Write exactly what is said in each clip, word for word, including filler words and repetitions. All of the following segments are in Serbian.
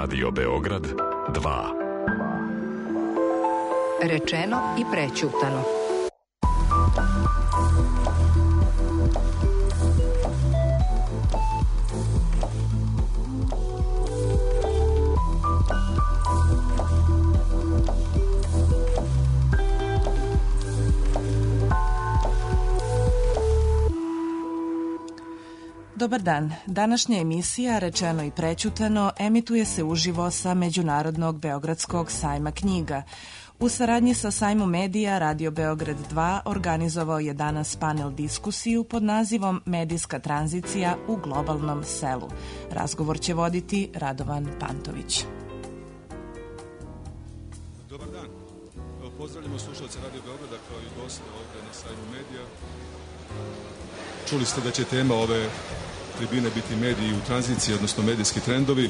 Radio Beograd dva. Rečeno i prećutano. Dobar dan. Današnja emisija Rečeno i prećutano emituje se uživo sa Međunarodnog Beogradskog sajma knjiga. U saradnji sa Sajmom medija Radio Beograd dva organizovao je danas panel diskusiju pod nazivom Medijska tranzicija u globalnom selu. Razgovor će voditi Radovan Pantović. Dobar dan. Pozdravljamo slušalce Radio Beograda kao i goste ovde na Sajmu medija. Čuli ste da će tema ove tribine biti mediji u tranziciji, odnosno medijski trendovi.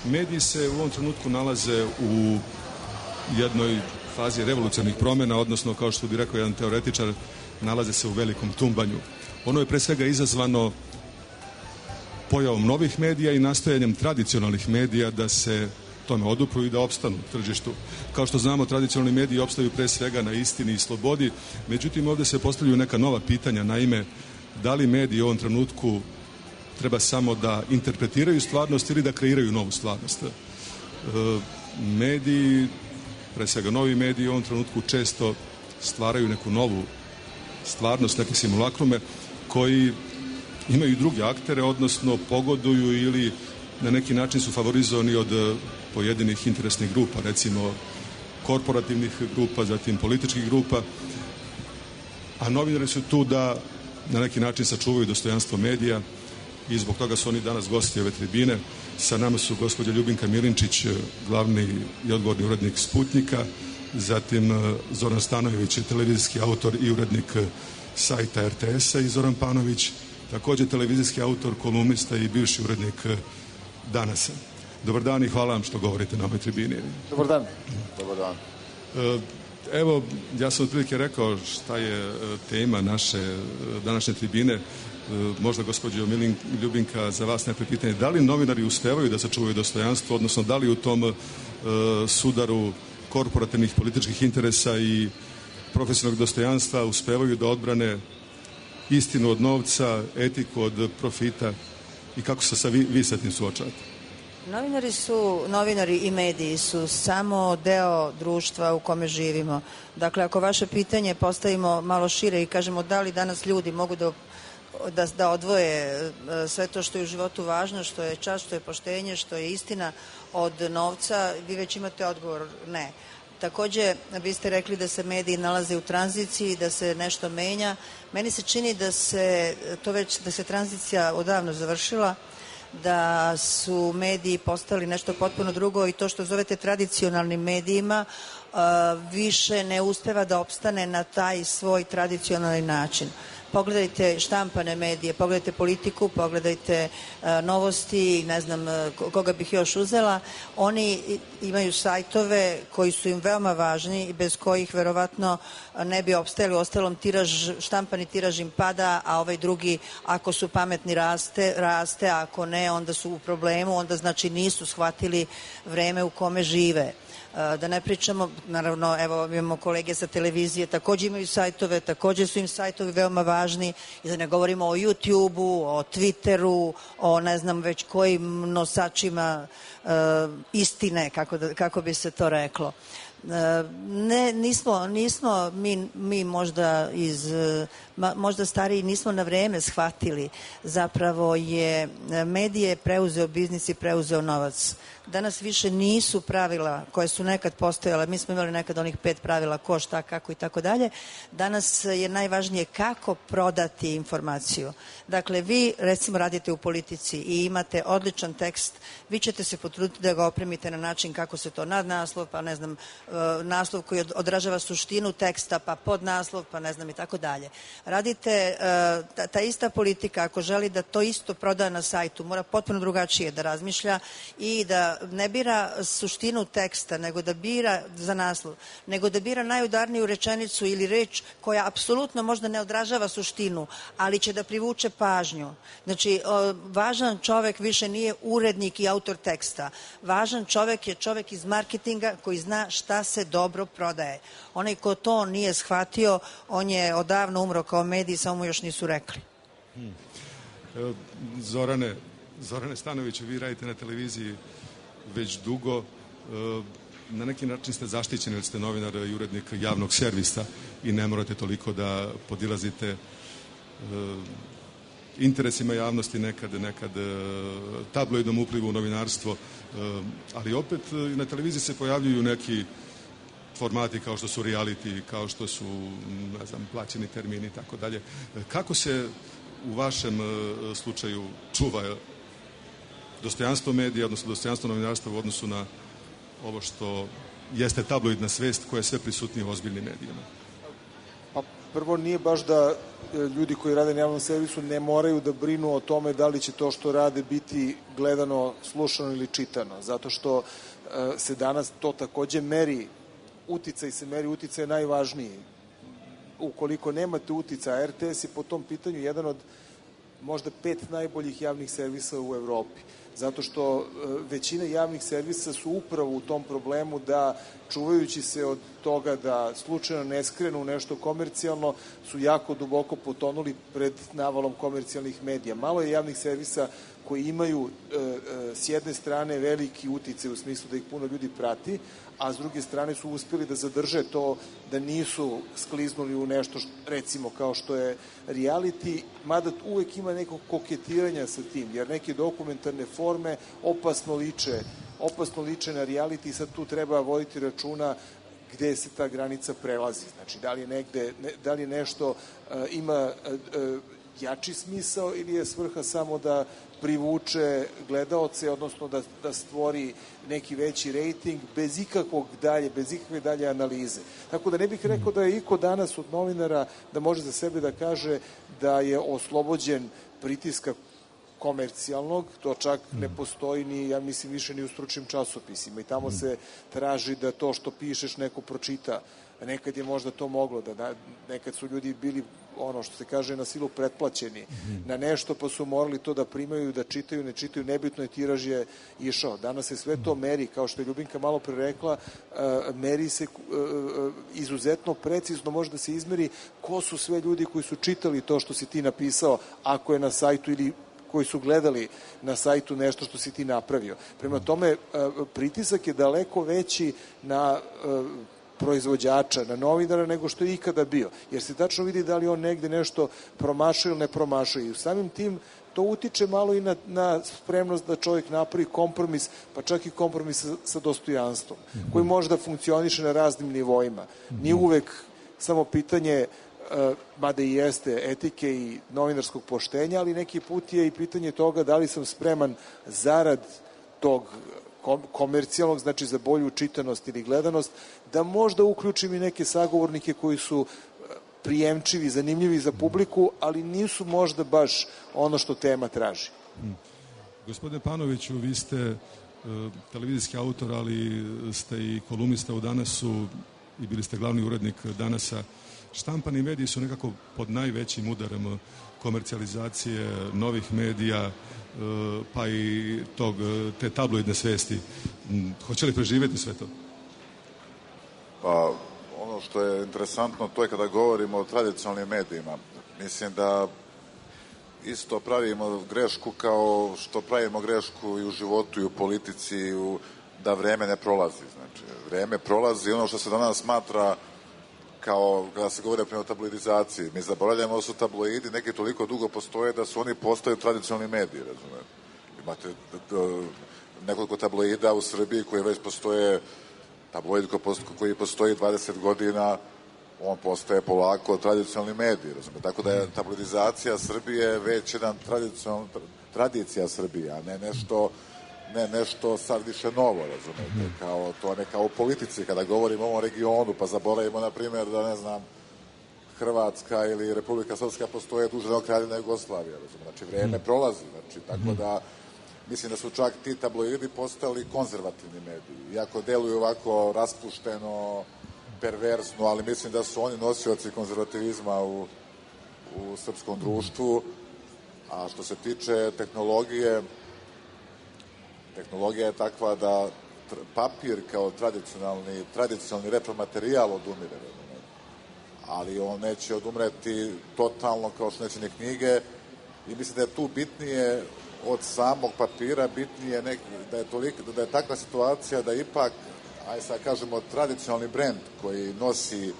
Mediji se u ovom trenutku nalaze u jednoj fazi revolucionarnih promjena, odnosno, kao što bi rekao jedan teoretičar, nalaze se u velikom tumbanju. Ono je pre svega izazvano pojavom novih medija i nastojanjem tradicionalnih medija da se tome odupru i da opstanu u tržištu. Kao što znamo, tradicionalni mediji opstaju pre svega na istini i slobodi, međutim ovdje se postavljaju neka nova pitanja, naime, da li mediji u ovom trenutku treba samo da interpretiraju stvarnost ili da kreiraju novu stvarnost. E, mediji, pre svega novi mediji u ovom trenutku često stvaraju neku novu stvarnost, neke simulakrume koji imaju druge aktere, odnosno pogoduju ili na neki način su favorizovani od pojedinih interesnih grupa, recimo korporativnih grupa, zatim političkih grupa, a novinari su tu da na neki način sačuvaju dostojanstvo medija i zbog toga su oni danas gosti ove tribine. Sa nama su gospođa Ljubinka Milinčić, glavni i odgovorni urednik Sputnjika, zatim Zoran Stanojević, televizijski autor i urednik sajta er te es-a, i Zoran Panović, također televizijski autor, kolumnista i bivši urednik Danasa. Dobar dan i hvala vam što govorite na ovoj tribini. Dobar dan. Dobar dan. Evo, ja sam otprilike rekao šta je tema naše današnje tribine. Možda, gospođo Ljubinka, za vas neko pitanje. Da li novinari uspevaju da sačuvaju dostojanstvo, odnosno da li u tom uh, sudaru korporativnih političkih interesa i profesionalnog dostojanstva uspevaju da odbrane istinu od novca, etiku od profita i kako se sa vi, vi sa tim suočavate? Novinari su, novinari i mediji su samo deo društva u kome živimo. Dakle, ako vaše pitanje postavimo malo šire i kažemo da li danas ljudi mogu da, da, da odvoje sve to što je u životu važno, što je čast, što je poštenje, što je istina od novca, vi već imate odgovor ne. Takođe, vi ste rekli da se mediji nalaze u tranziciji, da se nešto menja. Meni se čini da se to već, da se tranzicija odavno završila, da su mediji postali nešto potpuno drugo i to što zovete tradicionalnim medijima uh, više ne uspeva da opstane na taj svoj tradicionalni način. Pogledajte štampane medije, pogledajte Politiku, pogledajte uh, Novosti, ne znam uh, koga bih još uzela. Oni imaju sajtove koji su im veoma važni i bez kojih verovatno ne bi opstajali. U ostalom, tiraž, štampani tiraž im pada, a ovaj drugi, ako su pametni, raste, raste, a ako ne, onda su u problemu, onda znači nisu shvatili vreme u kome žive. Da ne pričamo, naravno, evo imamo kolege sa televizije, također imaju sajtove, također su im sajtovi veoma važni, i da ne govorimo o YouTubeu, o Twitteru, o ne znam već kojim nosačima uh, istine, kako, da, kako bi se to reklo. Ne, nismo, nismo mi, mi možda iz, možda stariji nismo na vreme shvatili, zapravo je medije preuzeo biznis i preuzeo novac. Danas više nisu pravila koje su nekad postojale, mi smo imali nekad onih pet pravila ko, šta, kako i tako dalje. Danas je najvažnije kako prodati informaciju. Dakle, vi recimo radite u Politici i imate odličan tekst, vi ćete se potruditi da ga opremite na način kako se to nadnaslov, pa ne znam, naslov koji odražava suštinu teksta, pa podnaslov, pa ne znam i tako dalje. Radite, ta, ta ista politika, ako želi da to isto proda na sajtu, mora potpuno drugačije da razmišlja i da ne bira suštinu teksta, nego da bira za naslov, nego da bira najudarniju rečenicu ili reč koja apsolutno možda ne odražava suštinu, ali će da privuče pažnju. Znači, važan čovek više nije urednik i autor teksta. Važan čovek je čovek iz marketinga koji zna šta se dobro prodaje. Onaj ko to nije shvatio, on je odavno umro kao medij, samo mu još nisu rekli. Hmm. Zorane, Zorane Stanoviću, vi radite na televiziji već dugo. Na neki način ste zaštićeni, jer ste novinar i urednik javnog servisa i ne morate toliko da podilazite interesima javnosti, nekad, nekad tabloidnom uplivu u novinarstvo, ali opet na televiziji se pojavljuju neki formati kao što su reality, kao što su, ne znam, plaćeni termini i tako dalje. Kako se u vašem slučaju čuva dostojanstvo medija, odnosno dostojanstvo novinarstva u odnosu na ovo što jeste tabloidna svest koja je sve prisutnija u ozbiljnim medijima? Pa prvo, nije baš da ljudi koji rade na javnom servisu ne moraju da brinu o tome da li će to što rade biti gledano, slušano ili čitano, zato što se danas to takođe meri, uticaj se meri, uticaj je najvažniji. Ukoliko nemate uticaja, R T S je po tom pitanju jedan od možda pet najboljih javnih servisa u Evropi, zato što većina javnih servisa su upravo u tom problemu da, čuvajući se od toga da slučajno ne skrenu u nešto komercijalno, su jako duboko potonuli pred navalom komercijalnih medija. Malo je javnih servisa koji imaju e, e, s jedne strane veliki uticaj u smislu da ih puno ljudi prati, a s druge strane su uspjeli da zadrže to, da nisu skliznuli u nešto što, recimo kao što je reality, mada uvek ima neko koketiranja sa tim, jer neke dokumentarne forme opasno liče, opasno liče na reality i sad tu treba voditi računa gde se ta granica prelazi. Znači, da li je negde, ne, da li nešto uh, ima uh, uh, jači smisao ili je svrha samo da privuče gledaoce, odnosno da, da stvori neki veći rejting bez ikakvog dalje, bez ikakve dalje analize. Tako da ne bih rekao da je iko danas od novinara da može za sebe da kaže da je oslobođen pritiska komercijalnog, to čak ne postoji ni, ja mislim, više ni u stručnim časopisima i tamo se traži da to što pišeš neko pročita. Nekad je možda to moglo, da nekad su ljudi bili, ono što se kaže, na silu pretplaćeni na nešto, pa su morali to da primaju, da čitaju, ne čitaju, nebitno je, tiraž je išao. Danas se sve to meri, kao što je Ljubinka malo pre rekla, meri se izuzetno precizno, može da se izmeri ko su sve ljudi koji su čitali to što si ti napisao, ako je na sajtu, ili koji su gledali na sajtu nešto što si ti napravio. Prema tome, pritisak je daleko veći na proizvođača, na novinara, nego što je ikada bio. Jer se tačno vidi da li on negde nešto promašuje ili ne promašuje. I samim tim to utiče malo i na, na spremnost da čovjek napravi kompromis, pa čak i kompromis sa, sa dostojanstvom, koji može da funkcioniše na raznim nivoima. Nije uvek samo pitanje, uh, mada i jeste, etike i novinarskog poštenja, ali neki put je i pitanje toga da li sam spreman zarad tog komercijalnog, znači za bolju čitanost ili gledanost, da možda uključim i neke sagovornike koji su prijemčivi, zanimljivi za publiku, ali nisu možda baš ono što tema traži. Hmm. Gospodine Panoviću, vi ste uh, televizijski autor, ali ste i kolumnista u Danasu i bili ste glavni urednik Danasa. Štampani mediji su nekako pod najvećim udarom komercijalizacije novih medija, pa i tog, te tabloidne svesti. Hoće li preživjeti sve to? Pa, ono što je interesantno, to je kada govorimo o tradicionalnim medijima. Mislim da isto pravimo grešku kao što pravimo grešku i u životu i u politici, i u, da vreme ne prolazi. Znači, vreme prolazi, ono što se danas smatra kao kada se govori o tabloidizaciji. Mi zaboravljamo da su tabloidi neki toliko dugo postoje da su oni postaju tradicionalni mediji, razumete. Imate nekoliko tabloida u Srbiji koji već postoje, tabloid koji postoji dvadeset godina, on postaje polako tradicionalni medij, razumete. Tako da je tabloidizacija Srbije već jedan tradicija Srbije, a ne nešto ne nešto sad više novo, razumete, mm-hmm. kao to ne kao u politici, kada govorimo o ovom regionu, pa zaboravimo, na primjer, da ne znam, Hrvatska ili Republika Srpska postoje duže od Kraljevine Jugoslavije, razumete, znači vreme mm. prolazi, znači, tako mm-hmm. da mislim da su čak ti tabloidi postali konzervativni mediji, iako deluju ovako raspušteno, perversno, ali mislim da su oni nosioci konzervativizma u, u srpskom društvu. A što se tiče tehnologije, tehnologija je takva da papir kao tradicionalni, tradicionalni repromaterijal odumire, ali on neće odumreti totalno kao što neće ni knjige, i mislim da je tu bitnije od samog papira, bitnije neki, da je toliko, da je takva situacija da ipak, aj sad kažemo, tradicionalni brend koji nosi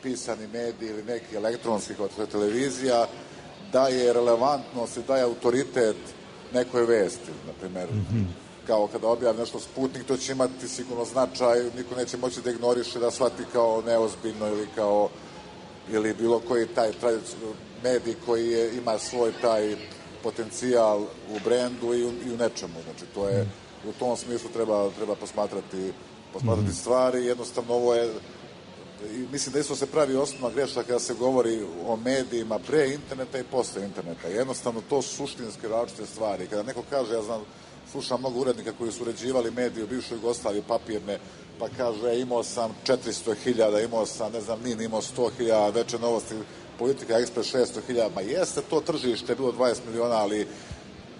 pisani medij ili neki elektronski kao televizija, daje relevantnost i daje autoritet nekoj vesti, na primjer. Mm-hmm. Kao kada objavi nešto Sputnik, to će imati sigurno značaj, niko neće moći da ignoriše, da shvati kao neozbiljno ili kao ili bilo koji taj medij koji je, ima svoj taj potencijal u brendu i u, i u nečemu. Znači, to je, u tom smislu treba, treba posmatrati, posmatrati mm-hmm. stvari. Jednostavno, ovo je, mislim da isto se pravi osnovna greška kada se govori o medijima pre interneta i posle interneta. Jednostavno, to su suštinske različite stvari. Kada neko kaže, ja znam, slušam mnogo urednika koji su uređivali medije u bivšoj Jugoslaviji, papirne, pa kaže, imao sam četiristo hiljada, imao sam, ne znam, Nin imao sto hiljada, Veče novosti, Politika Ekspres šesto hiljada, ma jeste to tržište, bilo dvadeset miliona, ali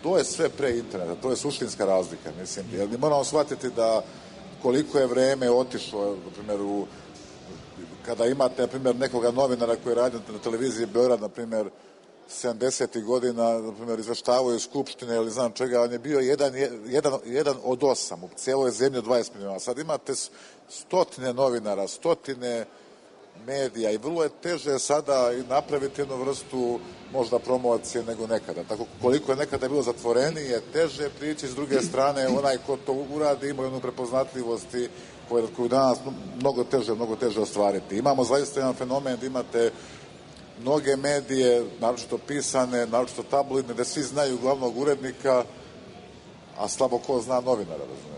to je sve pre interneta, to je suštinska razlika, mislim. Jer mi moramo shvatiti da koliko je vreme otišlo, na primjer, u, kada imate, na primjer, nekoga novinara koji radi na televiziji Beograd, na primjer, sedamdesetih godina, na primjer, izveštavaju iz Skupštine ili znam čega, on je bio jedan, jedan, jedan od osam u cijeloj zemlji od dvadeset miliona. Sad imate stotine novinara, stotine medija i vrlo je teže sada napraviti jednu vrstu možda promocije nego nekada. Tako koliko je nekada bilo zatvorenije, teže prići, s druge strane onaj ko to uradi ima jednu prepoznatljivosti koju, koju danas mnogo teže, mnogo teže ostvariti. Imamo zaista jedan fenomen da imate mnoge medije, naročito pisane, naročito tabloidne, da svi znaju glavnog urednika, a slabo ko zna novinara, razumete.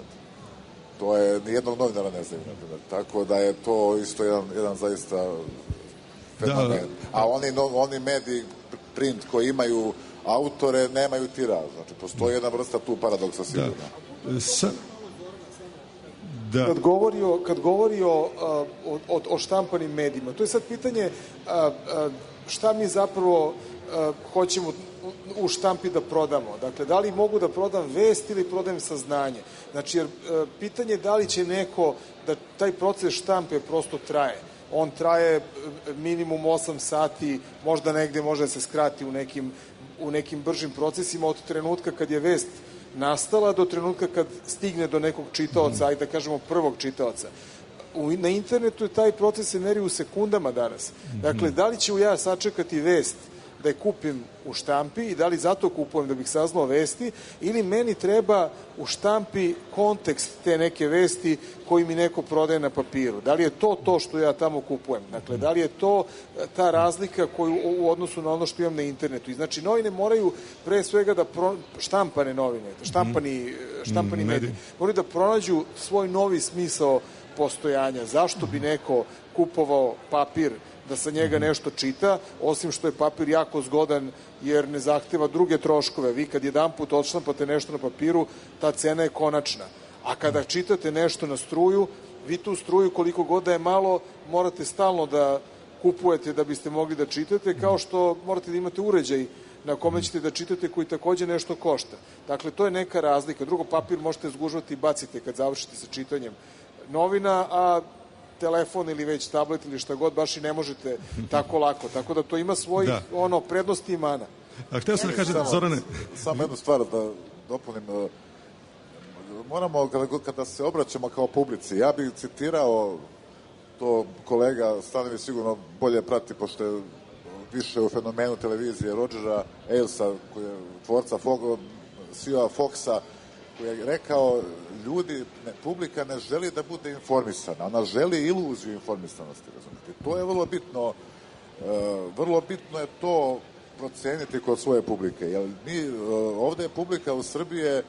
To je, nijednog novinara ne znaju, naprimjer. Tako da je to isto jedan, jedan zaista fenomen. Da. A oni, no, oni mediji, print koji imaju autore, nemaju tiraž. Znači, postoji jedna vrsta tu paradoksa sigurno. Da. Sa... Da. Kad govori o, kad govori o, o, o štampanim medijima, to je sad pitanje a, a, šta mi zapravo a, hoćemo u štampi da prodamo. Dakle, da li mogu da prodam vest ili prodajem saznanje. Znači, jer a, pitanje je da li će neko, da taj proces štampe prosto traje. On traje minimum osam sati, možda negde može da se skrati u nekim, u nekim bržim procesima od trenutka kad je vest nastala do trenutka kad stigne do nekog čitaoca, ajde da kažemo prvog čitaoca. U, na internetu je taj proces se meri u sekundama danas. Dakle, da li ću ja sačekati vest da je kupim u štampi i da li zato kupujem da bih saznao vesti, ili meni treba u štampi kontekst te neke vesti koji mi neko prodaje na papiru. Da li je to to što ja tamo kupujem? Dakle, da li je to ta razlika koju u odnosu na ono što imam na internetu? I znači, novine moraju pre svega da pro, štampane novine, štampani, štampani mediji, moraju da pronađu svoj novi smisao postojanja. Zašto bi neko kupovao papir da sa njega nešto čita, osim što je papir jako zgodan jer ne zahteva druge troškove. Vi kad jedan put odštampate nešto na papiru, ta cena je konačna. A kada čitate nešto na struju, vi tu struju koliko god da je malo, morate stalno da kupujete da biste mogli da čitate, kao što morate da imate uređaj na kome ćete da čitate koji takođe nešto košta. Dakle, to je neka razlika. Drugo, papir možete zgužvati i bacite kad završite sa čitanjem novina, a telefon ili već tablet ili šta god baš i ne možete tako lako. Tako da to ima svojih da. ono, prednosti i mana. A htio sam da kažem, Zorane... Samo jednu stvar da dopunim. Moramo, kada, kada se obraćamo kao publici, ja bih citirao, to kolega Stanovi sigurno bolje prati, pošto je više u fenomenu televizije, Rodgera Ailsa, koji je tvorca C E O Foxa, koji je rekao, ljudi, ne, publika ne želi da bude informisana, ona želi iluziju informisanosti, razumijete. To je vrlo bitno, e, vrlo bitno je to proceniti kod svoje publike, jer mi, e, ovde je publika u Srbije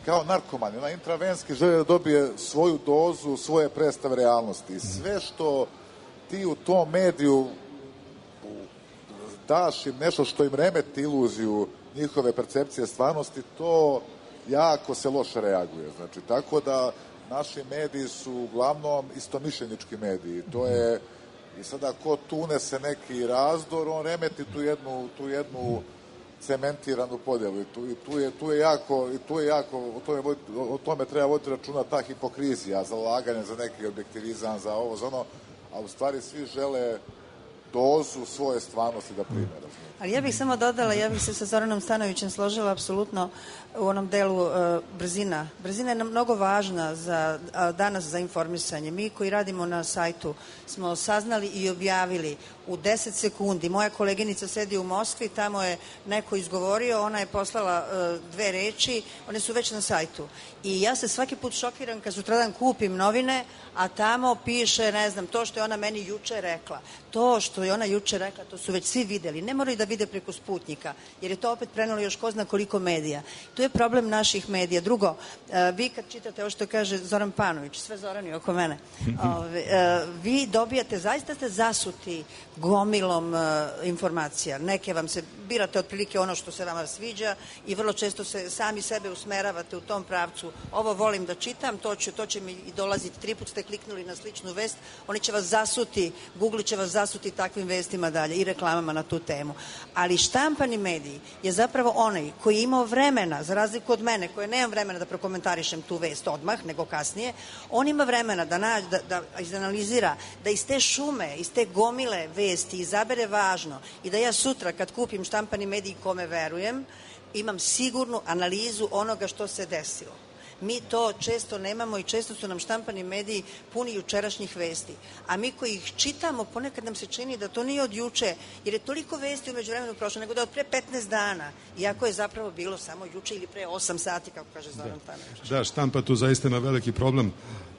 kao narkomani, ona intravenski želi da dobije svoju dozu, svoje predstave realnosti. Sve što ti u tom mediju daš im nešto što im remeti iluziju njihove percepcije stvarnosti, to jako se loše reaguje. Znači, tako da naši mediji su uglavnom istomišljenički mediji. To je, i sada ko tu unese neki razdor, on remeti tu jednu, tu jednu cementiranu podjelu. I tu, i tu, je, tu je jako, i tu je jako o, tome, o tome treba voditi računa, ta hipokrizija, zalaganje za neki objektivizam, za ovo, za ono, a u stvari svi žele dozu svoje stvarnosti da prime. Ali ja bih samo dodala, ja bih se sa Zoranom Stanovićem složila apsolutno u onom delu uh, brzina. Brzina je nam mnogo važna za, uh, danas za informisanje. Mi koji radimo na sajtu smo saznali i objavili u deset sekundi. Moja koleginica sedi u Moskvi, tamo je neko izgovorio, ona je poslala uh, dve reči, one su već na sajtu. I ja se svaki put šokiram kad sutradan kupim novine, a tamo piše, ne znam, to što je ona meni juče rekla. To što je ona juče rekla, to su već svi videli. Ne moraju da vide preko Sputnika, jer je to opet prenelo još ko zna koliko medija. To je problem naših medija. Drugo, uh, vi kad čitate ovo što kaže Zoran Panović, sve Zorani oko mene, ove, uh, vi dobijate, zaista ste zasuti gomilom uh, informacija. Neke vam se, birate otprilike ono što se vama sviđa i vrlo često se sami sebe usmeravate u tom pravcu. Ovo volim da čitam, to, ću, to će mi i dolaziti. Tri put ste kliknuli na sličnu vest, oni će vas zasuti, Google će vas zasuti takvim vestima dalje i reklamama na tu temu. Ali štampani mediji je zapravo onaj koji je imao vremena, za razliku od mene, koje nemam vremena da prokomentarišem tu vest odmah, nego kasnije, on ima vremena da, nađe, da, da izanalizira, da iz te šume, iz te gomile vesti izabere važno i da ja sutra kad kupim štampani medij kome verujem, imam sigurnu analizu onoga što se desilo. Mi to često nemamo i često su nam štampani mediji puni jučerašnjih vesti. A mi koji ih čitamo, ponekad nam se čini da to nije od juče, jer je toliko vesti umeđu vremenu prošlo, nego da je od pre petnaest dana, iako je zapravo bilo samo juče ili pre osam sati, kako kaže Zoran Panović. Da, štampa tu zaista ima veliki problem,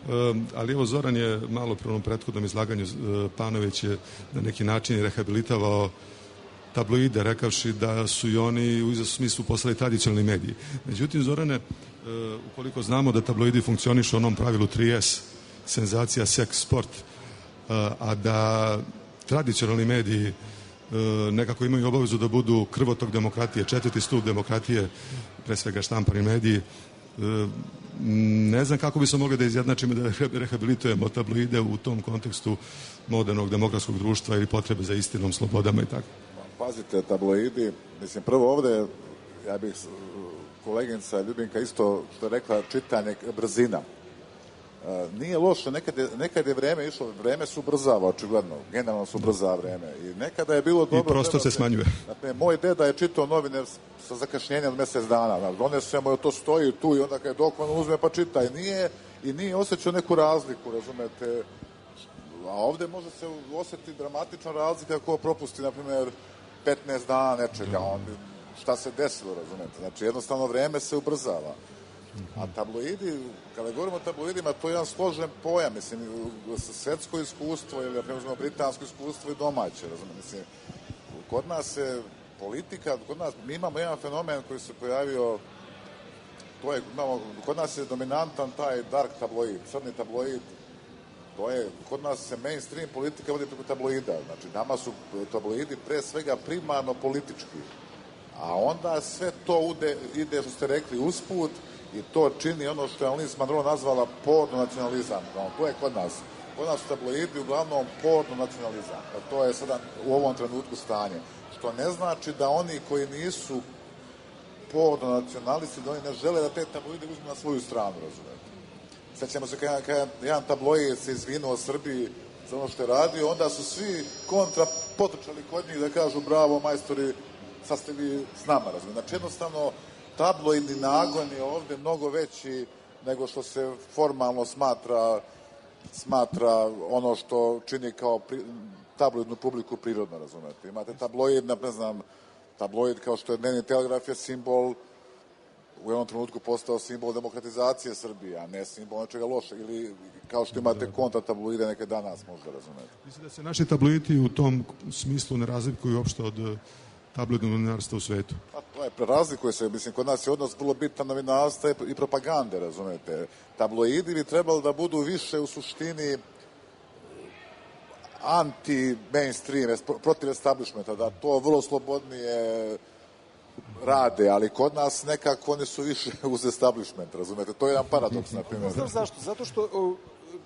um, ali evo Zoran je malo pre onom prethodnom izlaganju, uh, Panović je na neki način rehabilitovao tabloide, rekavši da su i oni u izvesnom smislu postali tradicionalni mediji. Međutim, Zorane, Uh, ukoliko znamo da tabloidi funkcionišu u onom pravilu tri es, senzacija, seks, sport, uh, a da tradicionalni mediji uh, nekako imaju obavezu da budu krvotok demokratije, četvrti stup demokratije, pre svega štampani mediji, uh, ne znam kako bi se mogli da izjednačimo da rehabilitujemo tabloide u tom kontekstu modernog demokratskog društva ili potrebe za istinom, slobodama i tako. Pazite, tabloidi, mislim, prvo ovde, ja bih koleginica Ljubinka isto što je rekla, čitanje, brzina. E, nije loše, nekad je, nekad je vreme išlo, vreme se ubrzava, očigledno, generalno se ubrzava vreme. I nekada je bilo dobro... I prostor se smanjuje. Dakle, moj deda je čitao novine sa zakašnjenjem od mesec dana. Donesemo, to stoji tu i onda kad je dok on uzme pa čita. I nije, i nije osjećao neku razliku, razumete. A ovde može se osjetiti dramatična razlika ako propusti, na primjer, petnaest dana nečega. On, šta se desilo, razumete. Znači, jednostavno vreme se ubrzava. A tabloidi, kada govorimo o tabloidima, to je jedan složen pojam, mislim, svetsko iskustvo ili, ako uzmemo, britansko iskustvo i domaće, razumete. Mislim, kod nas se politika, kod nas, mi imamo jedan fenomen koji se pojavio, to je, imamo, kod nas je dominantan taj dark tabloid, crni tabloid, to je, kod nas se mainstream politika vodi preko tabloida, znači, nama su tabloidi pre svega primarno politički. A onda sve to ude, ide, što ste rekli, usput i to čini ono što je Alice Munro nazvala porno nacionalizam. No, to je kod nas. Kod nas su tabloidi uglavnom porno nacionalizam. A to je sada u ovom trenutku stanje. Što ne znači da oni koji nisu porno nacionalisti, da oni ne žele da te tabloide uzmu na svoju stranu, razumete. Sećamo se kada, kada jedan tabloid se izvinuo o Srbiji za ono što je radio, onda su svi kontra potrčali kod njih da kažu bravo majstori, sad ste vi s nama, razumijete. Znači, jednostavno, tabloidni nagon je ovde mnogo veći nego što se formalno smatra smatra ono što čini kao pri, tabloidnu publiku prirodno, razumijete. Imate tabloid, ne znam, tabloid kao što je Dnevni telegraf je simbol, u jednom trenutku postao simbol demokratizacije Srbije, a ne simbol nečega lošeg, ili kao što imate kontra tabloide neke danas, možda, razumijete. Mislim da se naši tabloidi u tom smislu ne razlikuju uopšte od tabloidnog novinarstva u svetu? Pa to je, prerazlikuje se, mislim, kod nas je odnos vrlo bitan novinarstva i propagande, razumete. Tabloidi bi trebali da budu više u suštini anti-mainstream, protiv establishmenta, da to vrlo slobodnije rade, ali kod nas nekako oni su više uz establishment, razumete? To je jedan paradoks, na primjer. Znaš zašto? Zato što o,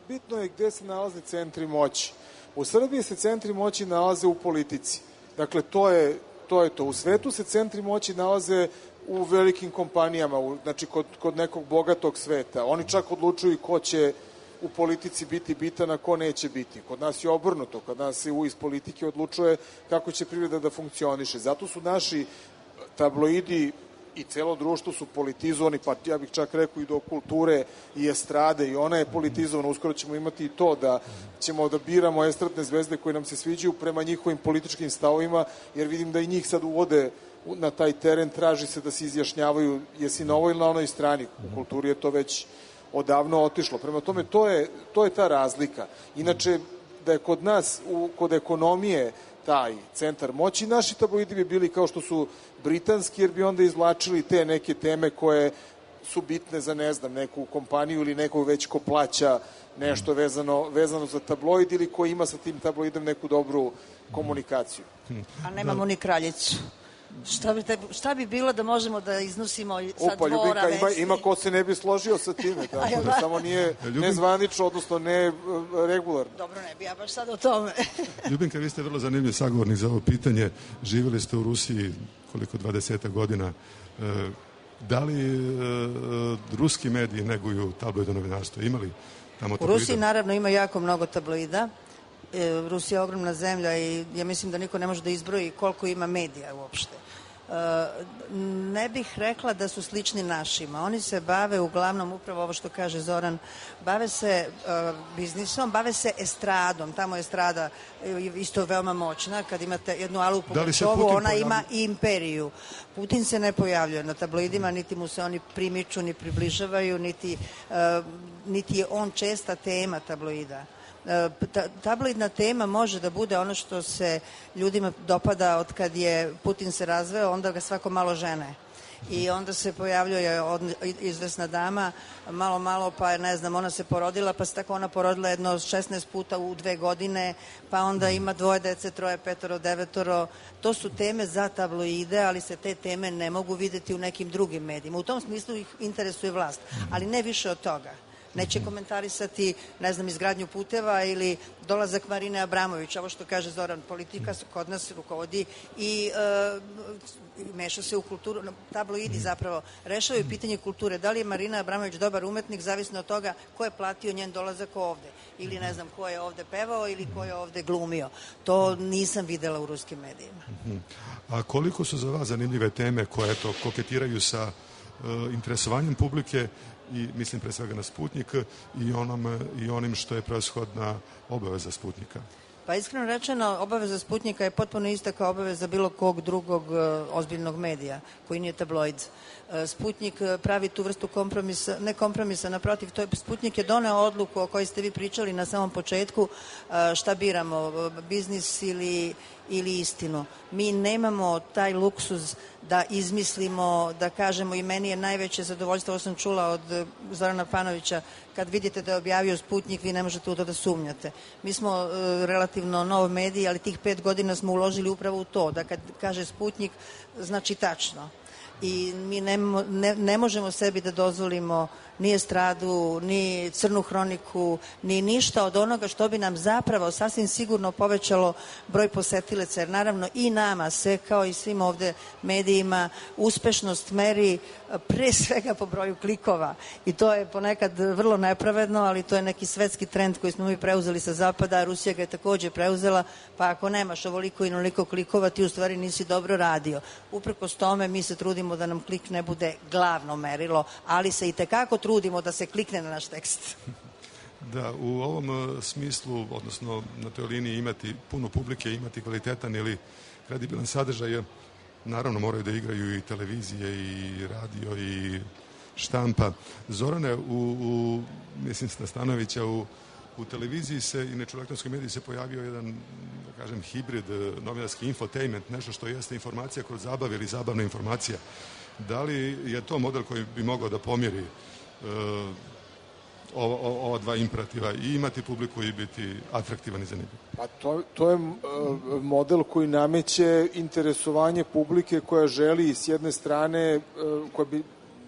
bitno je gde se nalaze centri moći. U Srbiji se centri moći nalaze u politici. Dakle, to je to. Je to. U svetu se centri moći nalaze u velikim kompanijama, u, znači kod, kod nekog bogatog sveta. Oni čak odlučuju ko će u politici biti bitan, a ko neće biti. Kod nas je obrnuto. Kod nas se u iz politike odlučuje kako će privreda da funkcioniše. Zato su naši tabloidi i celo društvo su politizovani, pa ja bih čak rekao i do kulture i estrade, i ona je politizovana. Uskoro ćemo imati i to da ćemo da biramo estradne zvezde koje nam se sviđaju prema njihovim političkim stavovima, jer vidim da i njih sad uvode na taj teren, traži se da se izjašnjavaju jesi na ovoj ili na onoj strani. U kulturi je to već odavno otišlo. Prema tome, to je, to je ta razlika. Inače, da je kod nas, u, kod ekonomije, taj centar moći, naši tabloidi bi bili kao što su britanski, jer bi onda izvlačili te neke teme koje su bitne za, ne znam, neku kompaniju ili nekog već ko plaća nešto vezano, vezano za tabloid ili ko ima sa tim tabloidom neku dobru komunikaciju. A nemamo ni kraljicu. Šta bi, te, šta bi bilo da možemo da iznosimo sa Upa, dvora Ljubinka, ima, vesti? ima ko se ne bi složio sa time, tako da samo nije nezvanično, odnosno ne regularno. Dobro, ne bi ja baš sad o tome. Ljubinka, vi ste vrlo zanimljiv sagovornik za ovo pitanje. Živjeli ste u Rusiji koliko, dvadesetak godina. Da li ruski mediji neguju tabloidno novinarstvo? Imali tamo tabloida? U Rusiji naravno ima jako mnogo tabloida. Rusija je ogromna zemlja i ja mislim da niko ne može da izbroji koliko ima medija uopšte. Ne bih rekla da su slični našima. Oni se bave uglavnom, upravo ovo što kaže Zoran, bave se biznisom, bave se estradom. Tamo je estrada isto veoma moćna. Kad imate jednu Alu Pugačovu, ona ima i imperiju. Putin se ne pojavljuje na tabloidima, niti mu se oni primiču, ni približavaju, niti, niti je on česta tema tabloida. Tabloidna tema može da bude ono što se ljudima dopada od kad je Putin se razveo, onda ga svako malo žene. I onda se pojavljuje izvesna dama, malo, malo, pa ne znam, ona se porodila, pa se tako ona porodila jedno šesnaest puta u dve godine, pa onda ima dvoje dece, troje, petoro, devetoro. To su teme za tabloide, ali se te teme ne mogu videti u nekim drugim medijima. U tom smislu ih interesuje vlast, ali ne više od toga. Neće komentarisati, ne znam, izgradnju puteva ili dolazak Marine Abramović. Ovo što kaže Zoran, politika kod nas rukovodi i e, meša se u kulturu. Tabloidi zapravo rešavaju pitanje kulture. Da li je Marina Abramović dobar umetnik, zavisno od toga ko je platio njen dolazak ovde. Ili ne znam ko je ovde pevao ili ko je ovde glumio. To nisam videla u ruskim medijima. A koliko su za vas zanimljive teme koje to koketiraju sa uh, interesovanjem publike i mislim pre svega na Sputnjik i, onom, i onim što je preoshodna obaveza Sputnjika? Pa iskreno rečeno, obaveza Sputnjika je potpuno ista kao obaveza bilo kog drugog uh, ozbiljnog medija, koji nije tabloid. Uh, Sputnjik pravi tu vrstu kompromisa, ne kompromisa, naprotiv, to je, Sputnjik je doneo odluku o kojoj ste vi pričali na samom početku, uh, šta biramo, biznis ili, ili istinu. Mi nemamo taj luksuz da izmislimo, da kažemo, i meni je najveće zadovoljstvo, ovo sam čula od Zorana Panovića, kad vidite da je objavio Sputnjik, vi ne možete u to da sumnjate. Mi smo uh, relativno nov medij, ali tih pet godina smo uložili upravo u to, da kad kaže Sputnjik, znači tačno. I mi ne, ne, ne možemo sebi da dozvolimo ni estradu, ni crnu hroniku, ni ništa od onoga što bi nam zapravo sasvim sigurno povećalo broj posetilaca, jer naravno i nama se, kao i svim ovde medijima, uspešnost meri pre svega po broju klikova. I to je ponekad vrlo nepravedno, ali to je neki svetski trend koji smo mi preuzeli sa zapada, a Rusija ga je takođe preuzela, pa ako nemaš ovoliko i noliko klikova, ti u stvari nisi dobro radio. Uprkos tome mi se trudimo da nam klik ne bude glavno merilo, ali se i tekako trudimo da se klikne na naš tekst. Da, u ovom smislu, odnosno na toj liniji imati puno publike, imati kvalitetan ili kredibilan sadržaj, naravno moraju da igraju i televizije i radio i štampa. Zorane, u, u mislim Stanovića, u U televiziji se i u elektronskoj mediji se pojavio jedan, da kažem, hibrid, novinarski infotainment, nešto što jeste informacija kroz zabave ili zabavna informacija. Da li je to model koji bi mogao da pomjeri uh, ova, ova dva imperativa, i imati publiku i biti atraktivan i zanimljiv? Pa to, to je uh, model koji nameće interesovanje publike koja želi s jedne strane, uh, koja bi,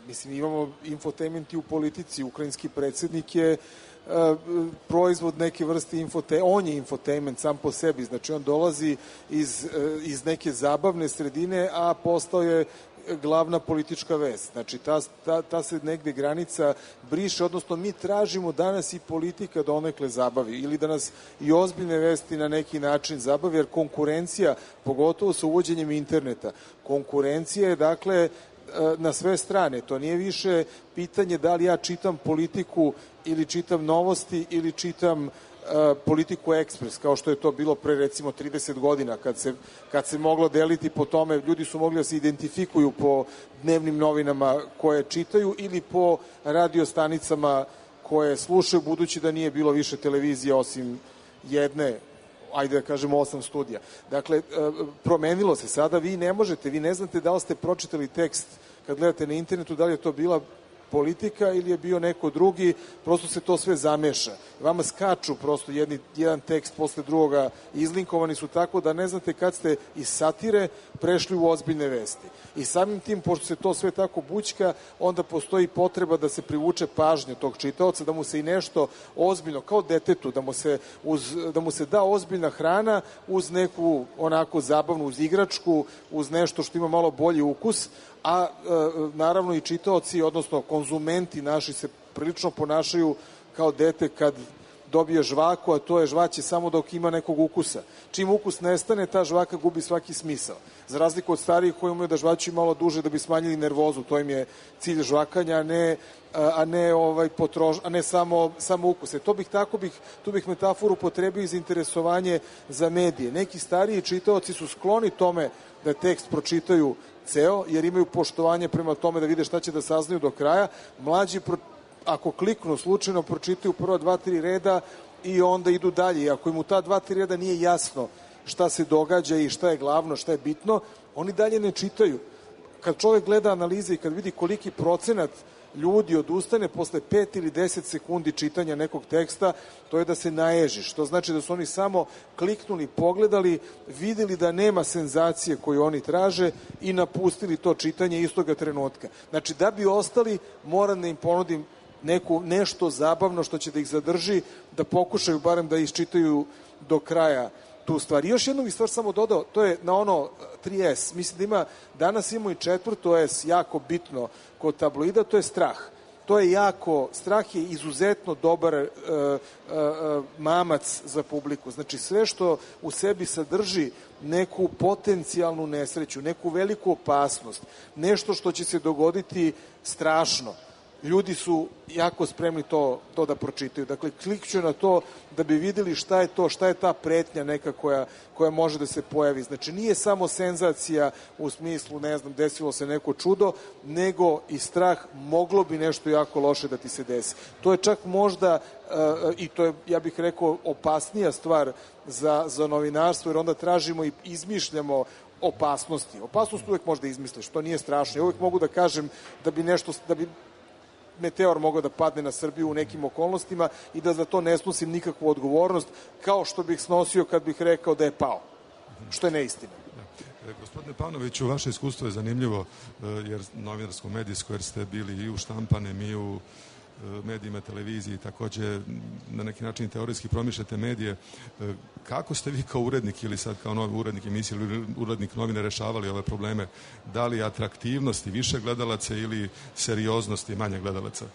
mislim, imamo infotainment i u politici. Ukrajinski predsjednik je uh, proizvod neke vrste infotainment, on je infotainment sam po sebi, znači on dolazi iz, uh, iz neke zabavne sredine, a postao je glavna politička vest. Znači, ta, ta, ta se negde granica briše, odnosno mi tražimo danas i politika da onekle zabavi ili da nas i ozbiljne vesti na neki način zabavi, jer konkurencija, pogotovo sa uvođenjem interneta, konkurencija je, dakle, na sve strane. To nije više pitanje da li ja čitam Politiku ili čitam Novosti ili čitam Politiku Ekspres, kao što je to bilo pre recimo trideset godina, kad se, kad se moglo deliti po tome, ljudi su mogli da se identifikuju po dnevnim novinama koje čitaju ili po radiostanicama koje slušaju, budući da nije bilo više televizije osim jedne, ajde da kažemo osam studija. Dakle, promenilo se sada, vi ne možete, vi ne znate da li ste pročitali tekst kad gledate na internetu, da li je to bila Politika ili je bio neko drugi, prosto se to sve zameša. Vama skaču prosto jedni, jedan tekst posle drugoga, izlinkovani su tako da ne znate kad ste iz satire prešli u ozbiljne vesti. I samim tim, pošto se to sve tako bućka, onda postoji potreba da se privuče pažnja tog čitaoca, da mu se i nešto ozbiljno, kao detetu, da mu se, uz, da mu se da ozbiljna hrana uz neku onako zabavnu, uz igračku, uz nešto što ima malo bolji ukus, a e, naravno i čitaoci, odnosno konzumenti naši se prilično ponašaju kao dete kad dobije žvaku, a to je žvaće samo dok ima nekog ukusa. Čim ukus nestane, ta žvaka gubi svaki smisao. Za razliku od starijih koji imaju da žvaću malo duže da bi smanjili nervozu, to im je cilj žvakanja, a ne, a ne, ovaj, potrož, a ne samo, samo ukuse. To bih, tako bih, tu bih metaforu potrebio iz interesovanje za medije. Neki stariji čitaoci su skloni tome da tekst pročitaju ceo, jer imaju poštovanje prema tome da vide šta će da saznaju do kraja. Mlađi, pro, ako kliknu slučajno, pročitaju prva dva, tri reda i onda idu dalje. I ako im u ta dva, tri reda nije jasno šta se događa i šta je glavno, šta je bitno, oni dalje ne čitaju. Kad čovek gleda analize i kad vidi koliki procenat ljudi odustane posle pet ili deset sekundi čitanja nekog teksta, to je da se naježiš. To znači da su oni samo kliknuli, pogledali, videli da nema senzacije koju oni traže i napustili to čitanje istoga trenutka. Znači, da bi ostali, moram da im ponudim neku, nešto zabavno što će da ih zadrži, da pokušaju barem da isčitaju do kraja tu stvar. I još jednu bih stvar samo dodao, to je na ono tri es. Mislim da ima, danas imamo i četvrto es, jako bitno kod tabloida, to je strah. To je jako, strah je izuzetno dobar uh, uh, uh, mamac za publiku. Znači, sve što u sebi sadrži neku potencijalnu nesreću, neku veliku opasnost, nešto što će se dogoditi strašno, ljudi su jako spremni to, to da pročitaju. Dakle, klikću na to da bi videli šta je to, šta je ta pretnja neka koja, koja može da se pojavi. Znači, nije samo senzacija u smislu, ne znam, desilo se neko čudo, nego i strah, moglo bi nešto jako loše da ti se desi. To je čak možda, uh, i to je, ja bih rekao, opasnija stvar za, za novinarstvo, jer onda tražimo i izmišljamo opasnosti. Opasnost uvek možda izmisliš, to nije strašno. Ja uvek mogu da kažem da bi nešto, da bi meteor mogao da padne na Srbiju u nekim okolnostima i da za to ne snosim nikakvu odgovornost, kao što bih snosio kad bih rekao da je pao, što je neistina. Da. Gospodine Pavnoviću, vaše iskustvo je zanimljivo, jer novinarsko-medijsko, jer ste bili i u štampanem i u medijima, televiziji, takođe na neki način teorijski promišljate medije. Kako ste vi kao urednik ili sad kao novi urednik emisije ili urednik novine rešavali ove probleme? Da li atraktivnosti više gledalaca ili serioznosti manje gledalaca?